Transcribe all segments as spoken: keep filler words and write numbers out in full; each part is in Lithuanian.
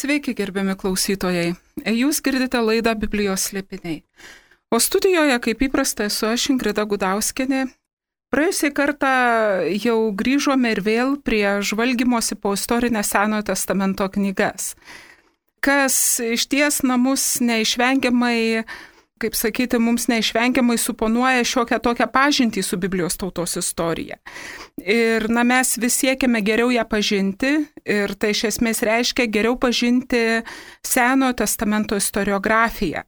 Sveiki, gerbiami klausytojai. Jūs girdite laidą Biblijos slėpiniai. O studijoje, kaip įprasta, esu aš Ingrida Gudauskienė. Praėjusią kartą jau grįžome ir vėl prie žvalgymosi po istorinę Senojo testamento knygas, kas išties namus neišvengiamai, kaip sakyti, mums neišvengiamai suponuoja šiokią tokią pažintį su Biblijos tautos istorija. Ir na, mes vis siekiame geriau ją pažinti ir tai iš esmės reiškia geriau pažinti Senojo testamento istoriografiją,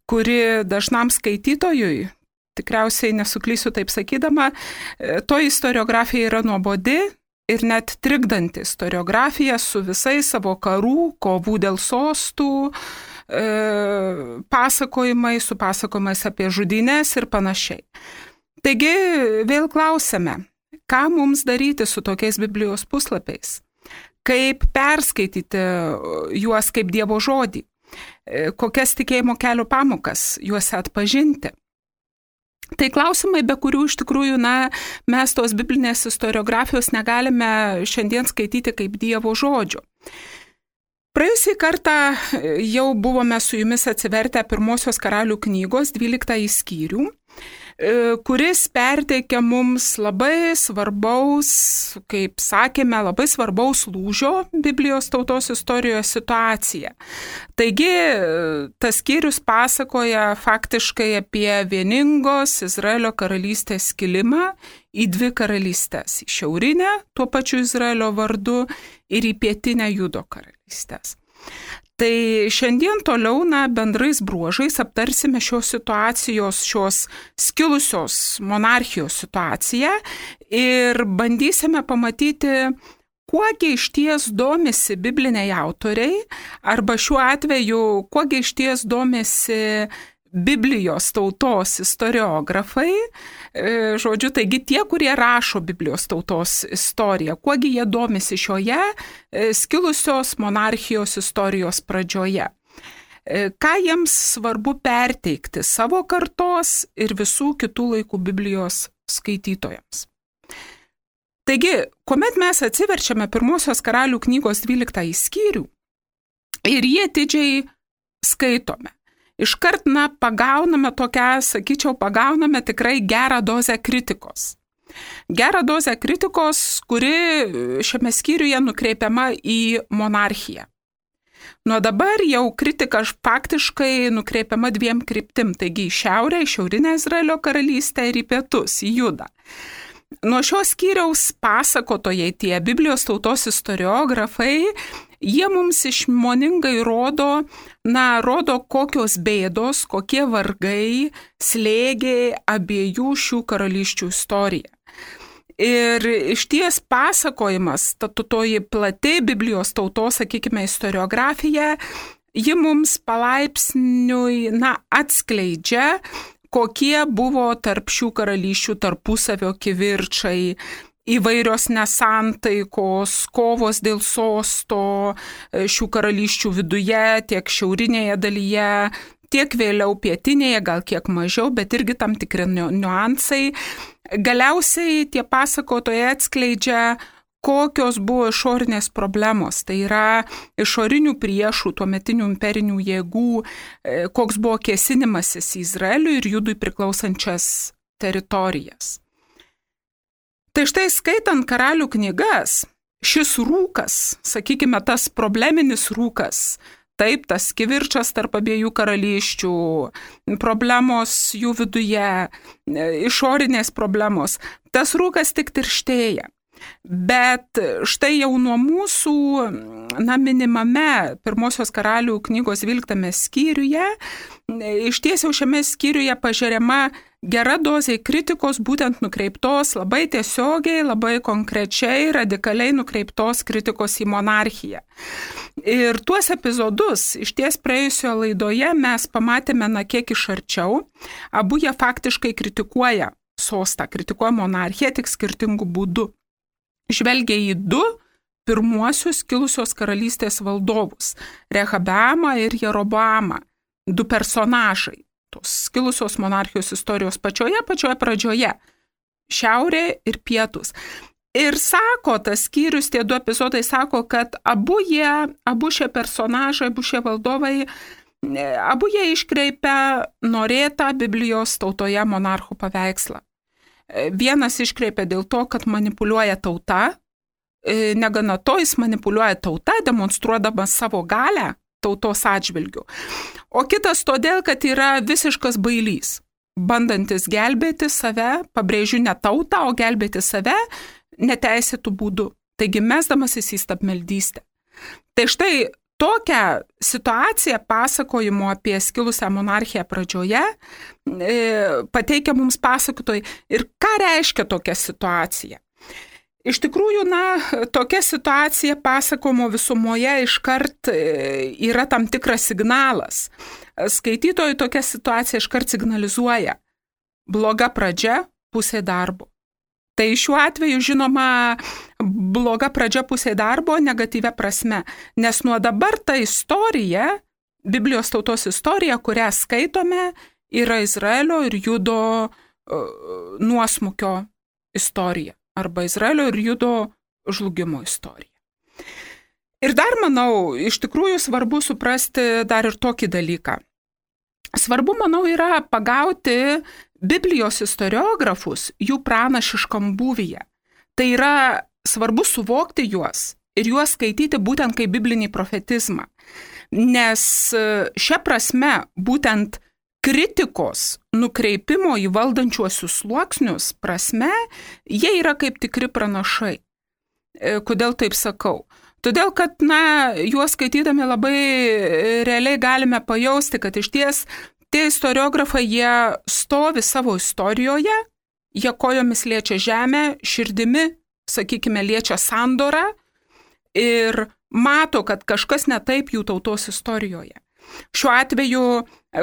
kuri dažnam skaitytojui, tikriausiai nesuklysiu taip sakydama, to istoriografija yra nuobodi ir net trikdanti istoriografija su visais savo karų, kovų dėl sostų, e, pasakojimai, su pasakojimais apie žudynes ir panašiai. Taigi vėl klausime, ką mums daryti su tokiais Biblijos puslapiais? Kaip perskaityti juos kaip Dievo žodį? Kokias tikėjimo kelio pamokas juose atpažinti? Tai klausimai, be kurių iš tikrųjų, na, mes tos biblinės istoriografijos negalime šiandien skaityti kaip Dievo žodžio. Praėjusį kartą jau buvome su jumis atsivertę Pirmosios karalių knygos dvyliktąjį skyrių, kuris perteikia mums labai svarbaus, kaip sakėme, labai svarbaus lūžio Biblijos tautos istorijoje situaciją. Taigi, tas skyrius pasakoja faktiškai apie vieningos Izraelio karalystės skilimą į dvi karalystės, į šiaurinę, tuo pačiu Izraelio vardu, ir į pietinę Judo karalystės. Tai šiandien toliau, na, bendrais bruožais aptarsime šios situacijos, šios skilusios monarchijos situaciją ir bandysime pamatyti, kuogi išties domisi bibliniai autoriai, arba šiuo atveju, kuogi išties domisi Biblijos tautos istoriografai, žodžiu, taigi tie, kurie rašo Biblijos tautos istoriją, kuogi jie domisi šioje skilusios monarchijos istorijos pradžioje. Ką jiems svarbu perteikti savo kartos ir visų kitų laikų Biblijos skaitytojams. Taigi, kuomet mes atsiverčiame Pirmosios karalių knygos dvyliktąjį skyrių ir jie atidžiai skaitome, iškart, na, pagauname tokią, sakyčiau, pagauname tikrai gerą dozę kritikos. Gerą dozę kritikos, kuri šiame skyriuje nukreipiama į monarchiją. Nuo dabar jau kritika faktiškai nukreipiama dviem kryptim, taigi į šiaurę, į šiaurinę Izraelio karalystę ir į pietus, į Judą. Nuo šios skyriaus pasakotojai, tie Biblijos tautos istoriografai, jie mums išmoningai rodo, na, rodo kokios bėdos, kokie vargai slėgė abiejų šių karalysčių istoriją. Ir išties pasakojimas, ta toji plati Biblijos tautos, sakykime, istoriografija, ji mums palaipsniui, na, atskleidžia, kokie buvo tarp šių karalysčių tarpusavio kivirčai, įvairios nesantaikos, kovos dėl sosto šių karalysčių viduje, tiek šiaurinėje dalyje, tiek vėliau pietinėje, gal kiek mažiau, bet irgi tam tikri niuansai. Galiausiai tie pasakotojai atskleidžia, kokios buvo išorinės problemos, tai yra išorinių priešų, tuometinių imperinių jėgų, koks buvo kėsinimasis į Izraeliui ir Judui priklausančias teritorijas. Tai štai skaitant karalių knygas, šis rūkas, sakykime, tas probleminis rūkas, taip, tas kivirčas tarp abiejų karalysčių, problemos jų viduje, išorinės problemos, tas rūkas tik tirštėja. Bet štai jau nuo mūsų, na, minimame Pirmosios karalių knygos dvyliktame skyriuje, iš ties jau šiame skyriuje pažeriama gera dozė kritikos, būtent nukreiptos labai tiesiogiai, labai konkrečiai, radikaliai nukreiptos kritikos į monarchiją. Ir tuos epizodus iš ties praėjusioje laidoje mes pamatėme, na, kiek iš arčiau. Abu jie faktiškai kritikuoja sostą, kritikuoja monarchiją, tik skirtingų būdų. Žvelgia į du pirmuosius kilusios karalystės valdovus – Rehabeamą ir Jeroboamą, du personažai tos kilusios monarchijos istorijos pačioje, pačioje pradžioje – šiaurė ir pietus. Ir sako, tas skyrius, tie du epizodai sako, kad abu jie, abu šie personažai, abu šie valdovai, abu jie iškreipia norėtą Biblijos tautoje monarchų paveikslą. Vienas iškreipia dėl to, kad manipuliuoja tauta, negana to jis manipuliuoja tauta, demonstruodamas savo galę tautos atžvilgių. O kitas todėl, kad yra visiškas bailys, bandantis gelbėti save, pabrėžiu ne tautą, o gelbėti save neteisėtų būdų. Taigi mesdamasis į stabmeldystę. Tai štai tokią situaciją pasakojimo apie skilusią monarchiją pradžioje e, pateikia mums pasakotojai. Ir ką reiškia tokia situacija? Iš tikrųjų, na, tokia situacija pasakojimo visumoje iškart yra tam tikras signalas. Skaitytojui tokia situacija iškart signalizuoja bloga pradžia, pusė darbo. Tai šiuo atveju, žinoma, bloga pradžia pusė darbo negatyvia prasme, nes nuo dabar ta istorija, Biblijos tautos istorija, kurią skaitome, yra Izraelio ir Judo uh, nuosmukio istorija, arba Izraelio ir Judo žlugimo istorija. Ir dar, manau, iš tikrųjų svarbu suprasti dar ir tokį dalyką. Svarbu, manau, yra pagauti Biblijos istoriografus jų pranašiškam būvyje. Tai yra svarbu suvokti juos ir juos skaityti būtent kaip biblinį profetizmą. Nes šia prasme būtent kritikos nukreipimo į valdančiuosius sluoksnius prasme, jie yra kaip tikri pranašai. Kodėl taip sakau? Todėl, kad, na, juos skaitydami labai realiai galime pajausti, kad iš ties tie istoriografai, jie stovi savo istorijoje, jie kojomis liečia žemę, širdimi, sakykime, liečia sandorą ir mato, kad kažkas ne taip jų tautos istorijoje. Šiuo atveju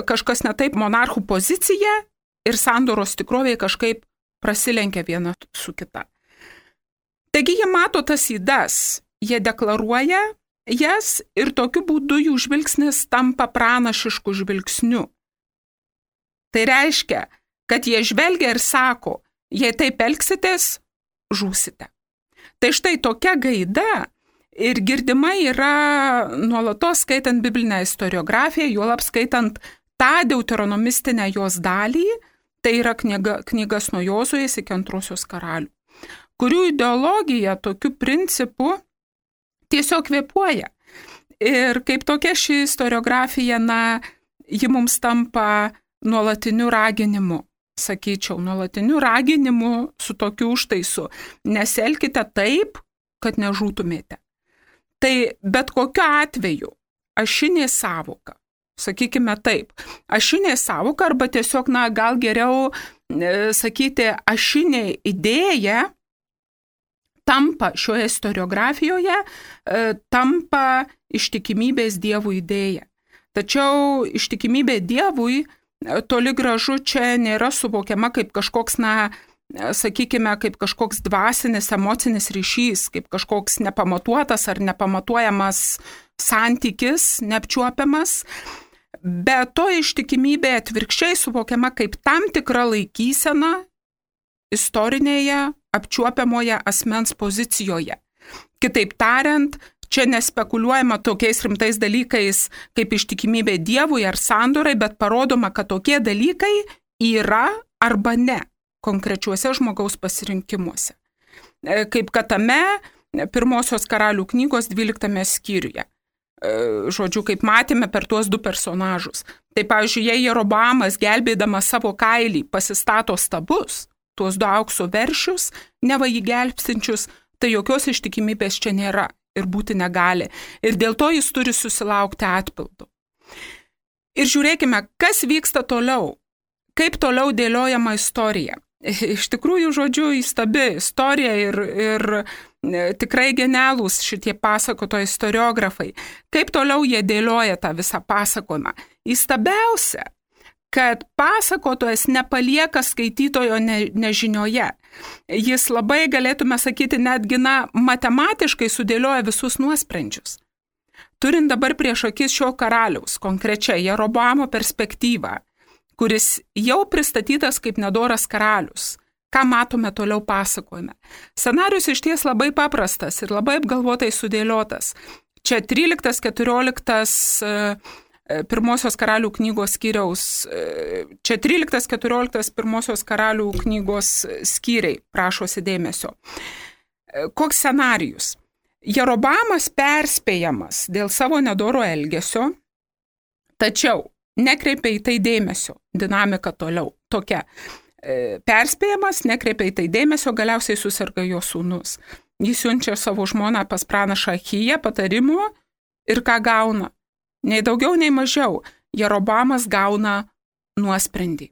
kažkas ne taip monarchų pozicija ir sandoros tikrovėje kažkaip prasilenkia viena su kita. Taigi jie mato tas ydas, jie deklaruoja jas ir tokiu būdu jų žvilgsnis tampa pranašišku žvilgsniu. Tai reiškia, kad jie žvelgia ir sako, jei taip elgsitės, žūsite. Tai štai tokia gaida ir girdima yra nuolatos skaitant biblinę istoriografiją, juolab skaitant tą deuteronomistinę jos dalį, tai yra knyga, knygas nuo Jozuės iki Antrosios karalių, kurių ideologija tokiu principu tiesiog kvėpuoja. Ir kaip tokia ši istoriografija, na, ji mums tampa nuolatiniu raginimu, sakyčiau, nuolatiniu raginimu su tokiu užtaisu. Nesielkite taip, kad nežūtumėte. Tai bet kokiu atveju ašinė sąvoka, sakykime taip, ašinė sąvoka arba tiesiog, na, gal geriau e, sakyti ašinė idėja tampa šioje istoriografijoje, e, tampa ištikimybės Dievui idėja. Tačiau ištikimybė Dievui e, toli gražu čia nėra suvokiama kaip kažkoks, na, sakykime, kaip kažkoks dvasinis, emocinis ryšys, kaip kažkoks nepamatuotas ar nepamatuojamas santykis, neapčiuopiamas, bet to ištikimybė atvirkščiai suvokiama kaip tam tikra laikysena istorinėje, apčiuopiamoje asmens pozicijoje. Kitaip tariant, čia nespekuliuojama tokiais rimtais dalykais kaip ištikimybė Dievui ar sandorai, bet parodoma, kad tokie dalykai yra arba ne konkrečiuose žmogaus pasirinkimuose. Kaip kad tame pirmosios karalių knygos dvyliktame skyriuje. Žodžiu, kaip matėme per tuos du personažus. Tai, pavyzdžiui, jei Jeroboamas gelbėdamas savo kailį pasistato stabus, tuos du aukso veršius, neva jį gelbstinčius, tai jokios ištikimybės čia nėra ir būti negali. Ir dėl to jis turi susilaukti atpildo. Ir žiūrėkime, kas vyksta toliau. Kaip toliau dėliojama istorija. Iš tikrųjų, žodžiu, įstabi istorija ir, ir tikrai genialūs šitie pasakoto istoriografai. Kaip toliau jie dėlioja tą visą pasakojimą. Įstabiausia, kad pasakotojas nepalieka skaitytojo ne, nežinioje. Jis labai, galėtume sakyti, netgi na, matematiškai sudėlioja visus nuosprendžius. Turint dabar prieš akis šio karaliaus, konkrečiai Jeroboamo perspektyvą, kuris jau pristatytas kaip nedoras karalius. ką matome toliau pasakojime. Scenarius iš ties labai paprastas ir labai apgalvotai sudėliotas. Čia tryliktas keturioliktas pirmosios karalių knygos skyriaus, čia tryliktas keturioliktas pirmosios karalių knygos skyriai, prašosi dėmesio. Koks scenarijus? Jerobamas perspėjamas dėl savo nedoro elgesio, tačiau nekreipia į tai dėmesio. Dinamika toliau tokia. Perspėjamas, nekreipia į tai dėmesio, galiausiai susirga jo sūnus. Jis siunčia savo žmoną pas pranašą Achiją patarimo ir ką gauna? Nei daugiau, nei mažiau. Jerobamas gauna nuosprendį.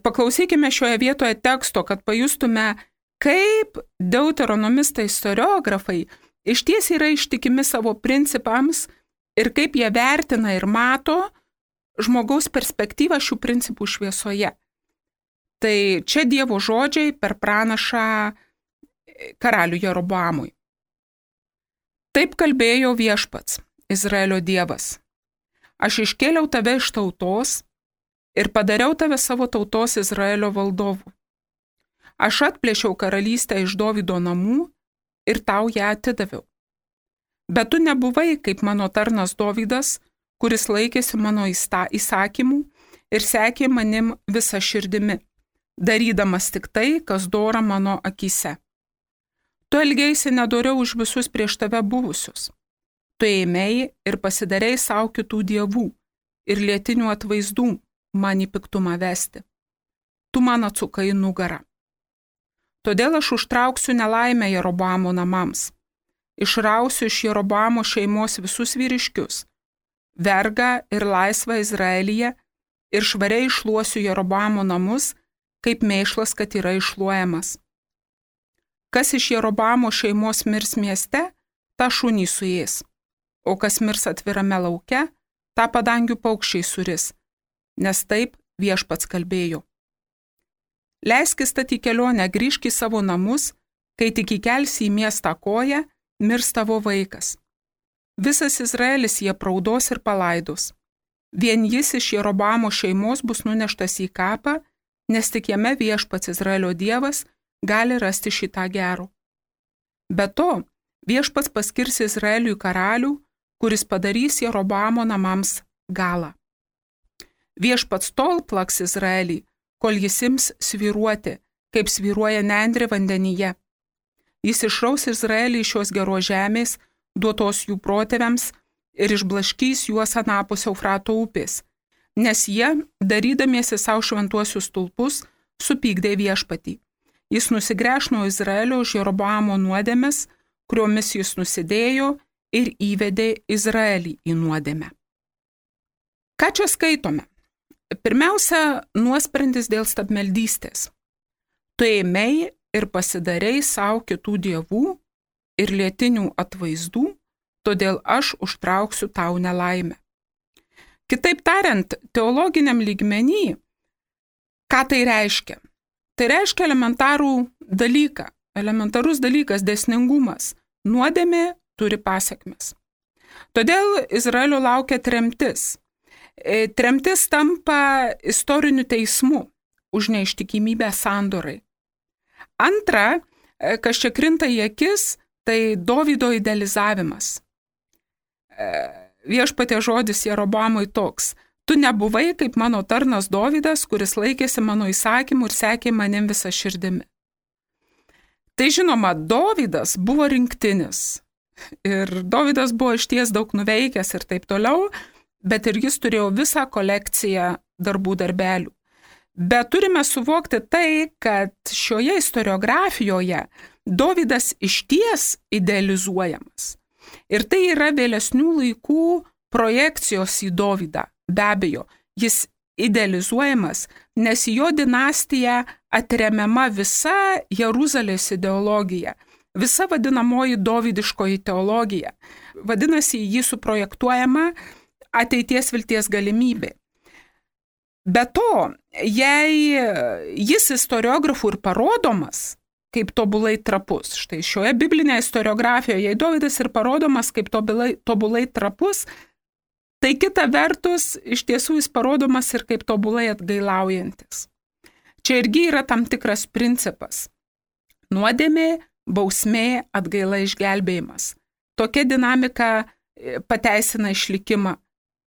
Paklausykime šioje vietoje teksto, kad pajustume, kaip deuteronomistai istoriografai iš ties yra ištikimi savo principams ir kaip jie vertina ir mato žmogaus perspektyvą šių principų šviesoje. Tai čia Dievo žodžiai per pranašą karalių Jeroboamui. Taip kalbėjo viešpats, Izraelio Dievas. Aš iškėliau tave iš tautos ir padariau tave savo tautos Izraelio valdovu. Aš atplėšiau karalystę iš Dovydo namų ir tau ją atidaviau. Bet tu nebuvai kaip mano tarnas Dovydas, kuris laikėsi mano įsakymų ir sekė manim visą širdimi, darydamas tik tai, kas dora mano akyse. Tu elgeisi nedoriau už visus prieš tave buvusius. Tu ėmei ir pasidarei savo kitų dievų ir lietinių atvaizdų man į piktumą vesti. Tu man atsukai nugarą. Todėl aš užtrauksiu nelaimę Jeroboamo namams. Išrausiu iš Jeroboamo šeimos visus vyriškius, vergą ir laisvą Izraelyje ir švariai išluosiu Jeroboamo namus, kaip mėšlas, kad yra išluojamas. Kas iš Jeroboamo šeimos mirs mieste, tą šunį suės, o kas mirs atvirame lauke, tą padangių paukščiai suris, nes taip viešpats kalbėjo. Leisk įstati kelionę, grįžk į savo namus, kai tik įkelsi į miestą koją, mirs tavo vaikas. Visas Izraelis jie praudos ir palaidos. Vien jis iš Jeroboamo šeimos bus nuneštas į kapą, nes tik jame viešpats Izraelio Dievas gali rasti šitą gero. Be to, viešpats paskirs Izraeliui karalių, kuris padarys Jeroboamo namams galą. Viešpats tol plaks Izraelį, kol jis ims svyruoti, kaip svyruoja nendrė vandenyje. Jis išraus Izraelį iš šios geros žemės, duotos jų protėviams, ir išblaškys juos anapus Eufrato upės, nes jie, darydamiesi savo šventuosius stulpus, supykdė viešpatį. Jis nusigręš nuo Izraelio už Jeroboamo nuodėmes, kuriomis jis nusidėjo ir įvedė Izraelį į nuodėmę. Ką čia skaitome? Pirmiausia, nuosprendis dėl stabmeldystės. Tu ėmei ir pasidarei savo kitų dievų ir lietinių atvaizdų, todėl aš užtrauksiu tau nelaimę. Kitaip tariant, teologiniam lygmenį, ką tai reiškia? Tai reiškia elementarų dalyką, elementarus dalykas, dėsningumas. Nuodėmė turi pasekmes. Todėl Izraelio laukia tremtis. Tremtis tampa istoriniu teismu už neištikimybę sandorai. Antra, kas čia krinta į akis, tai Dovydo idealizavimas. Viešpatie žodis Jeroboamui toks: tu nebuvai kaip mano tarnas Dovydas, kuris laikėsi mano įsakymų ir sekė manim visą širdimi. Tai žinoma, Dovydas buvo rinktinis ir Dovydas buvo išties daug nuveikęs ir taip toliau, bet ir jis turėjo visą kolekciją darbų darbelių. Bet turime suvokti tai, kad šioje istoriografijoje Dovydas išties idealizuojamas. Ir tai yra vėlesnių laikų projekcijos į Dovydą. Be abejo, jis idealizuojamas, nes jo dinastija atremiama visa Jeruzalės ideologija, visa vadinamoji dovydiškoji teologija. Vadinasi, jį suprojektuojama ateities vilties galimybė. Be to, jei jis istoriografų ir parodomas kaip tobulai trapus, štai šioje biblinėje istoriografijoje, jei Dovydas ir parodomas kaip tobulai, tobulai trapus, tai kita vertus, iš tiesų jis parodomas ir kaip tobulai atgailaujantis. Čia irgi yra tam tikras principas. Nuodėmė, bausmė, atgaila, išgelbėjimas. Tokia dinamika pateisina išlikimą.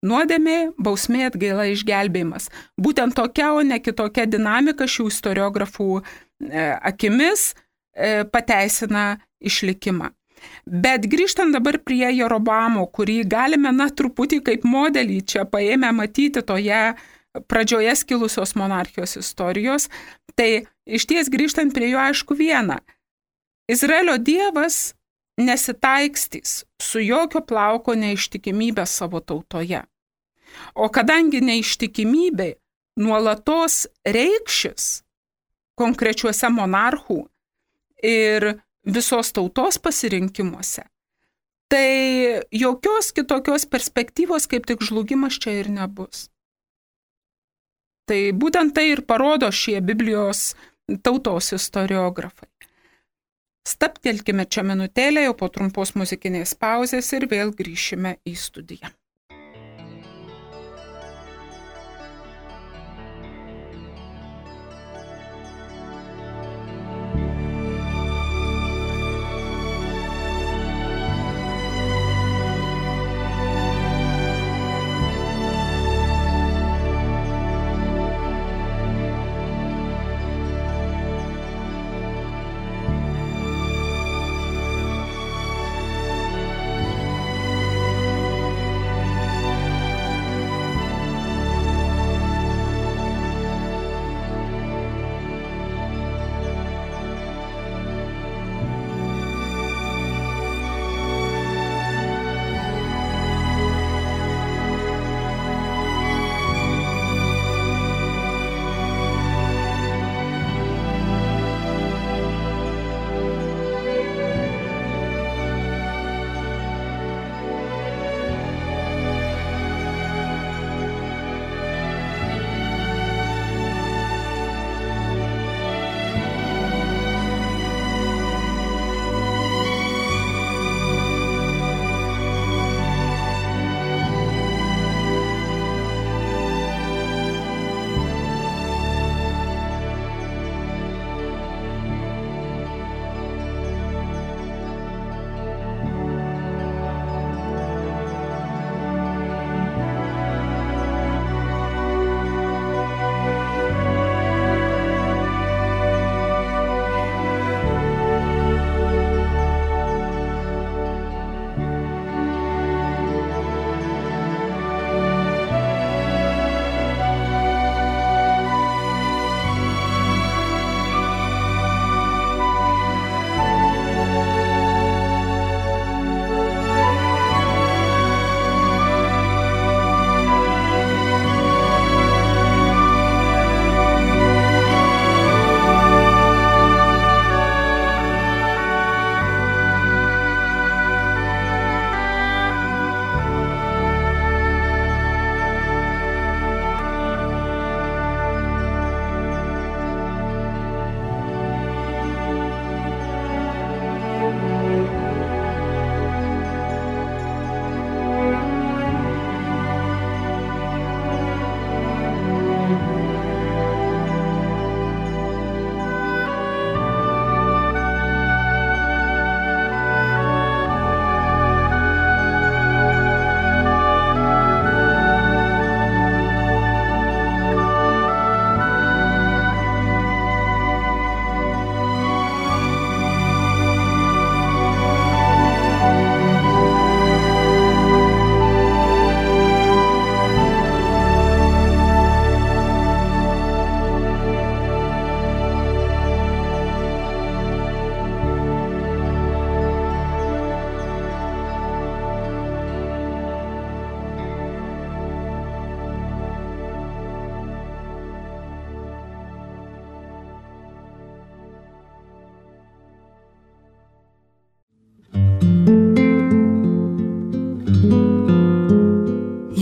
Nuodėmė, bausmė, atgaila, išgelbėjimas. Būtent tokia, o ne kitokia dinamika šių istoriografų akimis pateisina išlikimą. Bet grįžtant dabar prie Jeroboamo, kurį galime, na, truputį kaip modelį čia paėmę matyti toje pradžioje skilusios monarchijos istorijos, tai iš ties grįžtant prie jo aišku viena. Izraelio Dievas nesitaikstys su jokio plauko neištikimybė savo tautoje. O kadangi neištikimybė nuolatos reikšis konkrečiuose monarchų ir visos tautos pasirinkimuose, tai jokios kitokios perspektyvos kaip tik žlugimas čia ir nebus. Tai būtent tai ir parodo šie Biblijos tautos istoriografai. Stabtelkime čia minutėlę, jau po trumpos muzikinės pauzės ir vėl grįšime į studiją.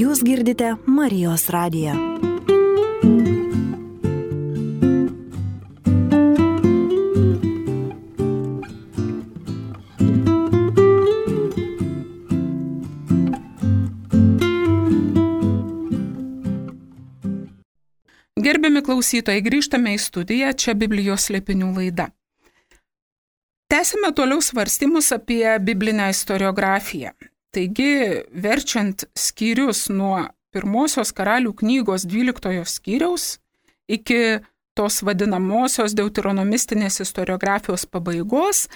Jūs girdite Marijos radiją. Gerbiami klausytojai, grįžtame į studiją, čia Biblijos slėpinių laida. Tęsime toliau svarstymus apie biblinę istoriografiją. Taigi, verčiant skyrius nuo pirmosios Karalių knygos dvyliktojo skyriaus iki tos vadinamosios deuteronomistinės istoriografijos pabaigos,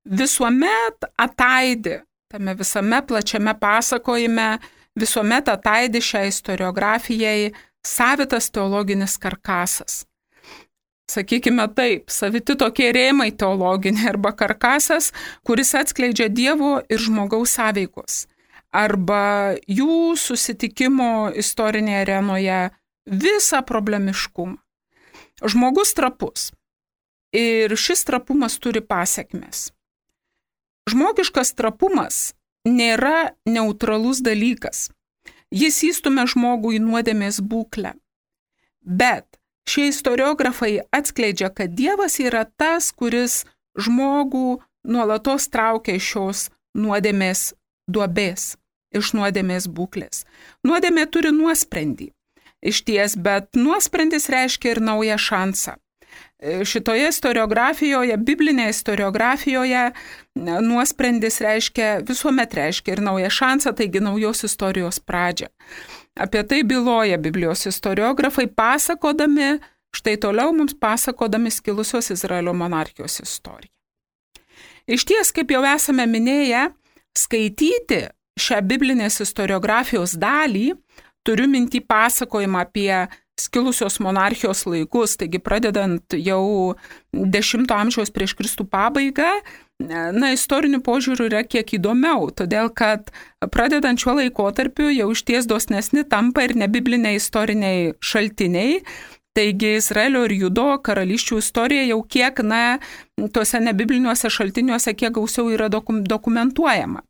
visuomet ataidi, tame visame plačiame pasakojime, visuomet ataidi šią istoriografijai savitas teologinis karkasas. Sakykime taip, saviti tokie rėmai teologiniai arba karkasas, kuris atskleidžia Dievo ir žmogaus sąveikos arba jų susitikimo istorinėje arenoje visą problemiškumą. Žmogus trapus ir šis trapumas turi pasekmes. Žmogiškas trapumas nėra neutralus dalykas. Jis įstumia žmogų į nuodėmės būklę. Bet šie istoriografai atskleidžia, kad Dievas yra tas, kuris žmogų nuolatos traukia iš šios nuodėmės duobės, iš nuodėmės būklės. Nuodėmė turi nuosprendį. Išties, bet nuosprendis reiškia ir naują šansą. Šitoje istoriografijoje, biblinėje istoriografijoje, nuosprendis reiškia, visuomet reiškia ir naują šansą, taigi naujos istorijos pradžią. Apie tai byloja Biblijos istoriografai, pasakodami, štai toliau mums pasakodami skilusios Izraelio monarchijos istoriją. Išties, kaip jau esame minėję, skaityti šią biblinės istoriografijos dalį, turiu mintį pasakojimą apie skilusios monarchijos laikus, taigi pradedant jau dešimto amžiaus prieš Kristų pabaigą, na, istorinių požiūrių yra kiek įdomiau, todėl kad pradedant šiuo laikotarpiu jau išties dosnesni tampa ir nebibliniai istoriniai šaltiniai, taigi Izraelio ir Judo karalysčių istorija jau kiek, na, tuose nebibliniuose šaltiniuose kiek gausiau yra dokum, dokumentuojama.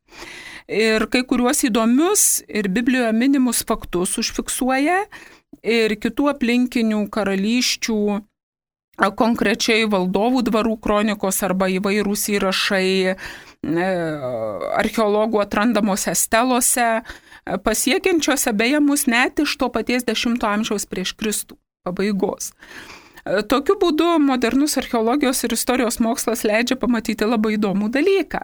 Ir kai kuriuos įdomius ir Biblijoje minimus faktus užfiksuoja ir kitų aplinkinių karalysčių, konkrečiai valdovų dvarų kronikos arba įvairūs įrašai archeologų atrandamose stelose, pasiekiančiose beje mus net iš to paties dešimto amžiaus prieš Kristų pabaigos. Tokiu būdu modernus archeologijos ir istorijos mokslas leidžia pamatyti labai įdomų dalyką.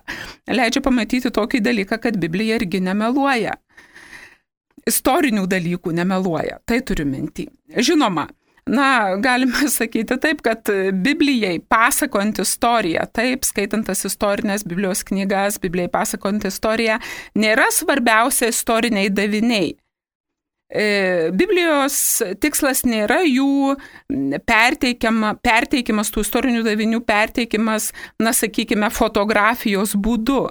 Leidžia pamatyti tokį dalyką, kad Biblija irgi nemeluoja. Istorinių dalykų nemeluoja, tai turiu mintį. Žinoma, na, galime sakyti taip, kad Biblijai pasakojant istoriją, taip, skaitant tas istorinės Biblijos knygas, Biblijai pasakojant istoriją, nėra svarbiausia istoriniai daviniai. Biblijos tikslas nėra jų perteikiama, perteikimas, tų istorinių davinių perteikimas, na, sakykime, fotografijos būdu.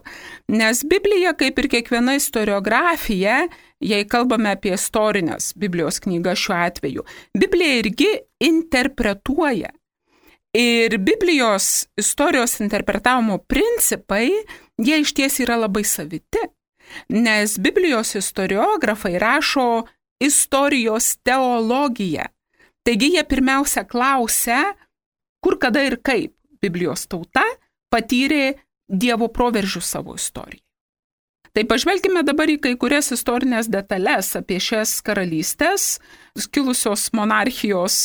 Nes Biblija, kaip ir kiekviena istoriografija, jei kalbame apie istorinės Biblijos knygas šiuo atveju, Biblija irgi interpretuoja. Ir Biblijos istorijos interpretavimo principai, jie išties yra labai saviti. Nes Biblijos istoriografai rašo istorijos teologiją. Taigi jie pirmiausia klausia, kur, kada ir kaip Biblijos tauta patyrė Dievo proveržių savo istorijai. Tai pažvelkime dabar į kai kurias istorinės detalės apie šias karalystės, kilusios monarchijos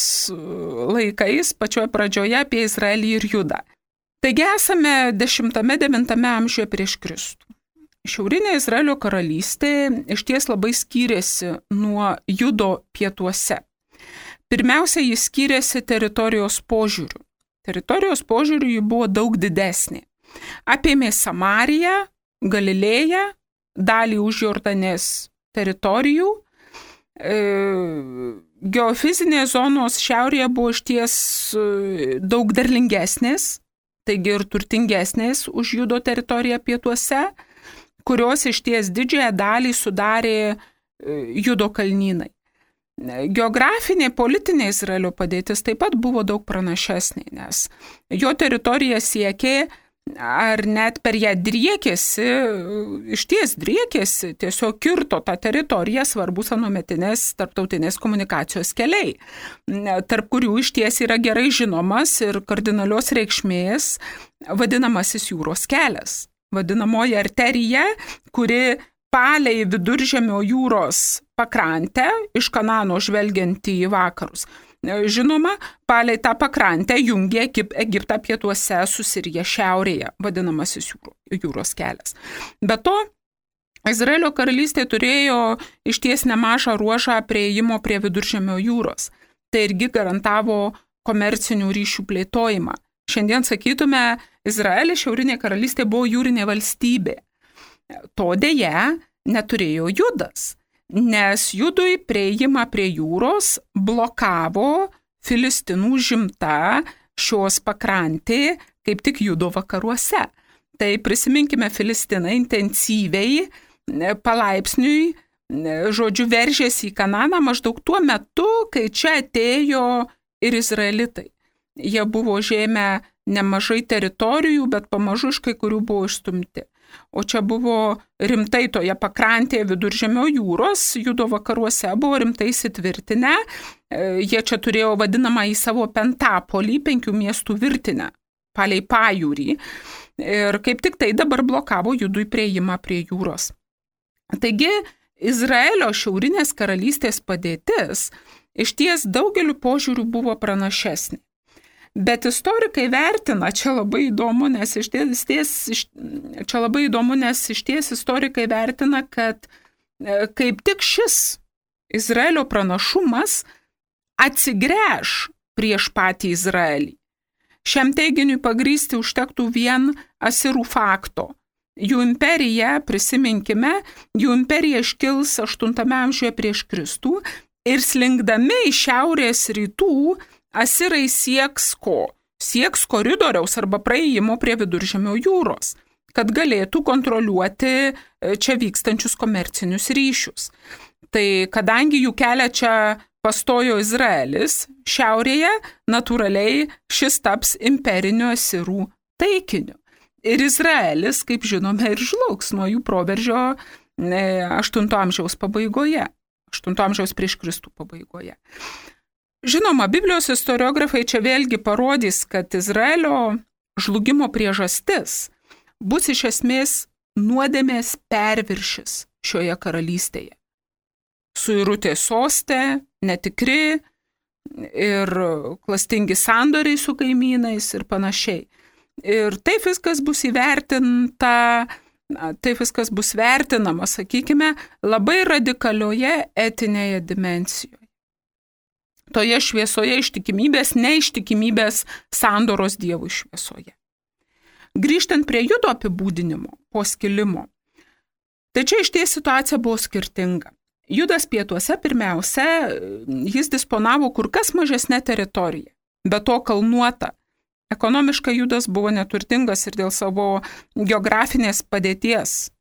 laikais, pačioje pradžioje apie Izraelį ir Judą. Taigi esame dešimtame devintame amžiuje prieš Kristų. Šiaurinė Izraelio karalystė išties labai skyrėsi nuo Judo pietuose. Pirmiausia, jis skyrėsi teritorijos požiūriu. Teritorijos požiūriu ji buvo daug didesnė. Apėmė Samariją, Galilėją, dalį už Jordanės teritorijų. E, geofizinės zonos šiaurėje buvo išties daug derlingesnės, taigi ir turtingesnės už Judo teritoriją pietuose, kurios išties didžiąją dalį sudarė Judo kalnynai. Geografinė, politinė Izraelio padėtis taip pat buvo daug pranašesnė, nes jo teritorija siekė, ar net per ją driekėsi, išties driekėsi, tiesiog kirto tą teritoriją svarbus anuometinės tarptautinės komunikacijos keliai, tarp kurių išties yra gerai žinomas ir kardinalios reikšmės vadinamasis jūros kelias. Vadinamoji arterija, kuri palei Viduržemio jūros pakrantę iš Kanano žvelgianti į vakarus, žinoma, palei tą pakrantę jungė Egiptą pietuose su Sirija šiaurėje, vadinamasis jūros kelias. Be to, Izraelio karalystė turėjo išties nemažą ruožą prieėjimo prie Viduržemio jūros. Tai irgi garantavo komercinių ryšių plėtojimą. Šiandien sakytume, Izraelis šiaurinė karalystė buvo jūrinė valstybė. To dėja neturėjo Judas, nes Judui prieėjimą prie jūros blokavo Filistinų žimta šios pakrantė, kaip tik Judo vakaruose. Tai prisiminkime, Filistinai intensyviai, palaipsniui, žodžiu, veržėsi į Kananą maždaug tuo metu, kai čia atėjo ir izraelitai. Jie buvo žėmę nemažai teritorijų, bet pamažu iš kai kurių buvo išstumti. O čia buvo rimtai toje pakrantėje Viduržemio jūros, Judo vakaruose buvo rimtai įsitvirtinę. Jie čia turėjo vadinamą į savo Pentapolį, penkių miestų virtinę, palei pajūrį. Ir kaip tik tai dabar blokavo Judui prieėjimą prie jūros. Taigi, Izraelio šiaurinės karalystės padėtis išties daugeliu požiūrių buvo pranašesnė. Bet istorikai vertina, čia labai įdomu, nes išties, čia labai įdomu, nes išties istorikai vertina, kad kaip tik šis Izraelio pranašumas atsigręš prieš patį Izraelį. Šiam teiginiui pagrįsti užtektų vien asirų fakto. Jų imperija, prisiminkime, jų imperija iškils aštuntame amžiuje prieš Kristų ir slinkdami iš šiaurės rytų asirai sieks ko? Sieks koridoriaus arba praėjimo prie Viduržemio jūros, kad galėtų kontroliuoti čia vykstančius komercinius ryšius. Tai kadangi jų kelią čia pastojo Izraelis, šiaurėje natūraliai šis taps imperiniu asirų taikiniu. Ir Izraelis, kaip žinome, ir žlugs nuo jų proveržio aštunto amžiaus pabaigoje, aštunto amžiaus prieš Kristų pabaigoje. Žinoma, Biblijos istoriografai čia vėlgi parodys, kad Izraelio žlugimo priežastis bus iš esmės nuodėmės perviršis šioje karalystėje. Suirutė soste, netikri ir klastingi sandoriai su kaimynais ir panašiai. Ir taip viskas bus įvertinta, taip viskas bus vertinama, sakykime, labai radikalioje etinėje dimensijoje. Toje šviesoje ištikimybės, neištikimybės sandoros Dievui šviesoje. Grįžtant prie Judo apibūdinimo po skilimo, tai čia išties situacija buvo skirtinga. Judas pietuose pirmiausia, jis disponavo kur kas mažesnę teritoriją, be to kalnuota. Ekonomiškai Judas buvo neturtingas ir dėl savo geografinės padėties,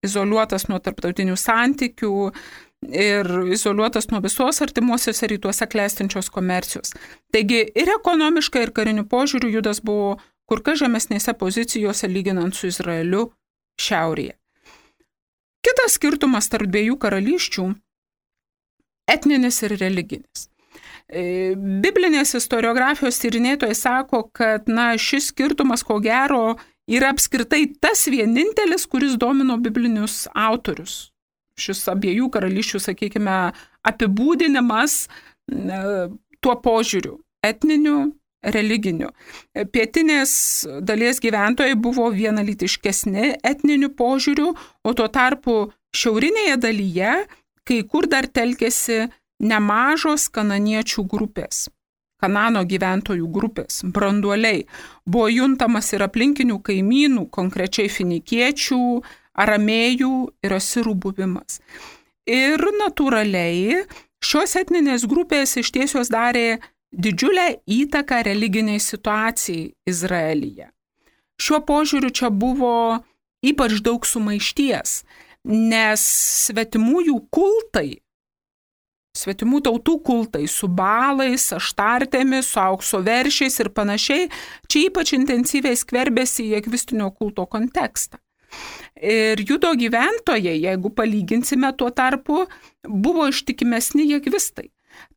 izoliuotas nuo tarptautinių santykių ir izoliuotas nuo visos artimuosiuose rytuose klestinčios komercijos. Taigi ir ekonomiškai, ir kariniu požiūriu Judas buvo kur kas žemesnėse pozicijose lyginant su Izraeliu šiaurėje. Kitas skirtumas tarp dviejų karalysčių – etninis ir religinis. Biblinės istoriografijos tyrinėtojai sako, kad na, šis skirtumas ko gero yra apskritai tas vienintelis, kuris domino biblinius autorius. Šis abiejų karalysčių, sakykime, apibūdinimas tuo požiūriu – etniniu, religiniu. Pietinės dalies gyventojai buvo vienalytiškesni etniniu požiūriu, o tuo tarpu šiaurinėje dalyje kai kur dar telkėsi nemažos kananiečių grupės, Kanano gyventojų grupės, branduoliai. Buvo juntamas ir aplinkinių kaimynų, konkrečiai finikiečių, aramėjų ir asirų buvimas. Ir natūraliai šios etninės grupės iš tiesios darė didžiulę įtaką religiniai situacijai Izraelyje. Šiuo požiūriu čia buvo ypač daug sumaišties, nes svetimųjų kultai, svetimų tautų kultai su balais, aštartėmis, su aukso veršiais ir panašiai, čia ypač intensyviai skverbėsi į jekvistinio kulto kontekstą. Ir Judo gyventojai, jeigu palyginsime tuo tarpu, buvo ištikimesni jekvistai.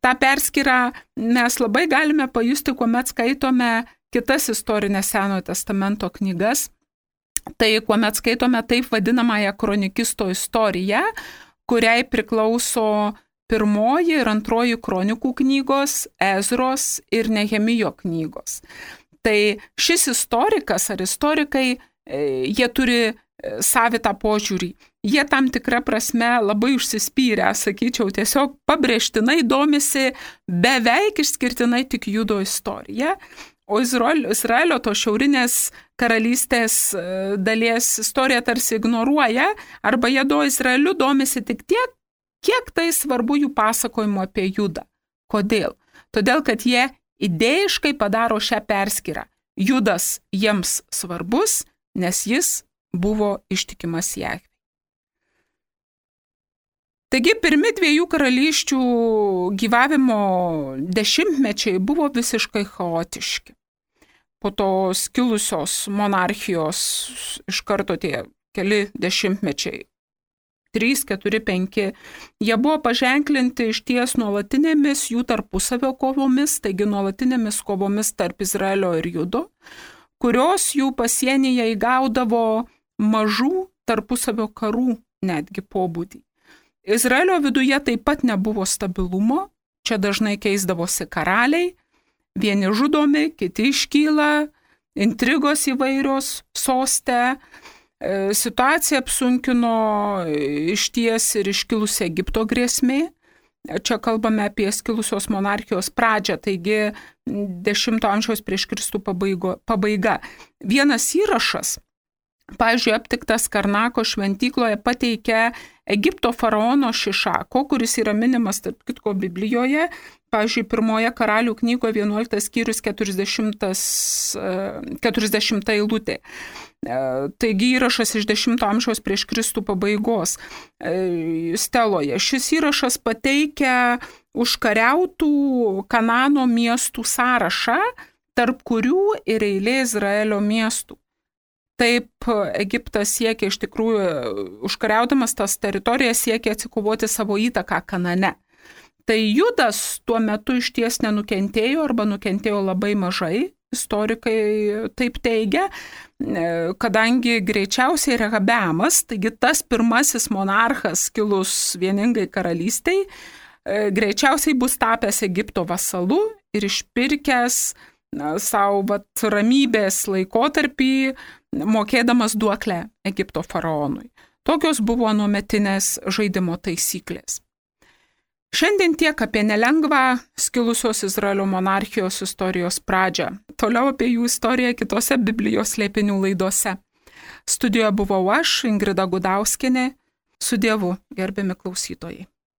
Ta perskyrą mes labai galime pajusti, kuomet skaitome kitas istorinės Senojo testamento knygas. Tai kuomet skaitome taip vadinamąją kronikisto istoriją, kuriai priklauso pirmoji ir antroji kronikų knygos, Ezros ir Nehemijo knygos. Tai šis istorikas ar istorikai, jie turi savitą požiūrį. Jie tam tikrą prasme labai užsispyrę, sakyčiau, tiesiog pabrėžtinai domisi beveik išskirtinai tik Judo istorija, o Izraelio, Izraelio to šiaurinės karalystės dalies istoriją tarsi ignoruoja, arba jie do Izraeliu domisi tik tiek, kiek tai svarbu jų pasakojimo apie Judą. Kodėl? Todėl, kad jie idėjiškai padaro šią perskyrą. Judas jiems svarbus, nes jis buvo ištikimas Jahvei. Taigi pirmi dviejų karalysčių gyvavimo dešimtmečiai buvo visiškai chaotiški. Po to skilusios monarchijos iš karto tie keli dešimtmečiai, trys, keturi, penki, jie buvo paženklinti iš ties nuolatinėmis jų tarpusavio kovomis, taigi nuolatinėmis kovomis tarp Izraelio ir Judo, kurios jų pasienyje įgaudavo mažų tarpusavio karų netgi pobūdį. Izraelio viduje taip pat nebuvo stabilumo, čia dažnai keisdavosi karaliai, vieni žudomi, kiti iškyla, intrigos įvairios soste, situaciją apsunkino išties ir iškilusi Egipto grėsmė. Čia kalbame apie skilusios monarchijos pradžią, taigi dešimto amžiaus prieš Kristų pabaigo, pabaiga. Vienas įrašas, pavyzdžiui, aptiktas Karnako šventykloje, pateikia Egipto faraono Šišako, kuris yra minimas, tarp kitko, Biblijoje, pavyzdžiui, pirmoje karalių knygoje vienuoliktas skyrius keturiasdešimta eilutė. Taigi įrašas iš dešimto amžiaus prieš Kristų pabaigos steloje. Šis įrašas pateikia užkariautų Kanano miestų sąrašą, tarp kurių ir eilė Izraelio miestų. Taip Egiptas siekia iš tikrųjų, užkariaudamas tas teritorijas, siekia atsikovoti savo įtaką Kanane. Tai Judas tuo metu iš ties nenukentėjo arba nukentėjo labai mažai, istorikai taip teigia, kadangi greičiausiai Rehabeamas, taigi tas pirmasis monarchas kilus vieningai karalystiai, greičiausiai bus tapęs Egipto vasalu ir išpirkęs na, savo vat, ramybės laikotarpį, mokėdamas duoklę Egipto faraonui. Tokios buvo nuometinės žaidimo taisyklės. Šiandien tiek apie nelengvą skilusios Izraelio monarchijos istorijos pradžią. Toliau apie jų istoriją kitose Biblijos slėpinių laidose. Studijoje buvau aš, Ingrida Gudauskienė. Su Dievu, gerbiami klausytojai.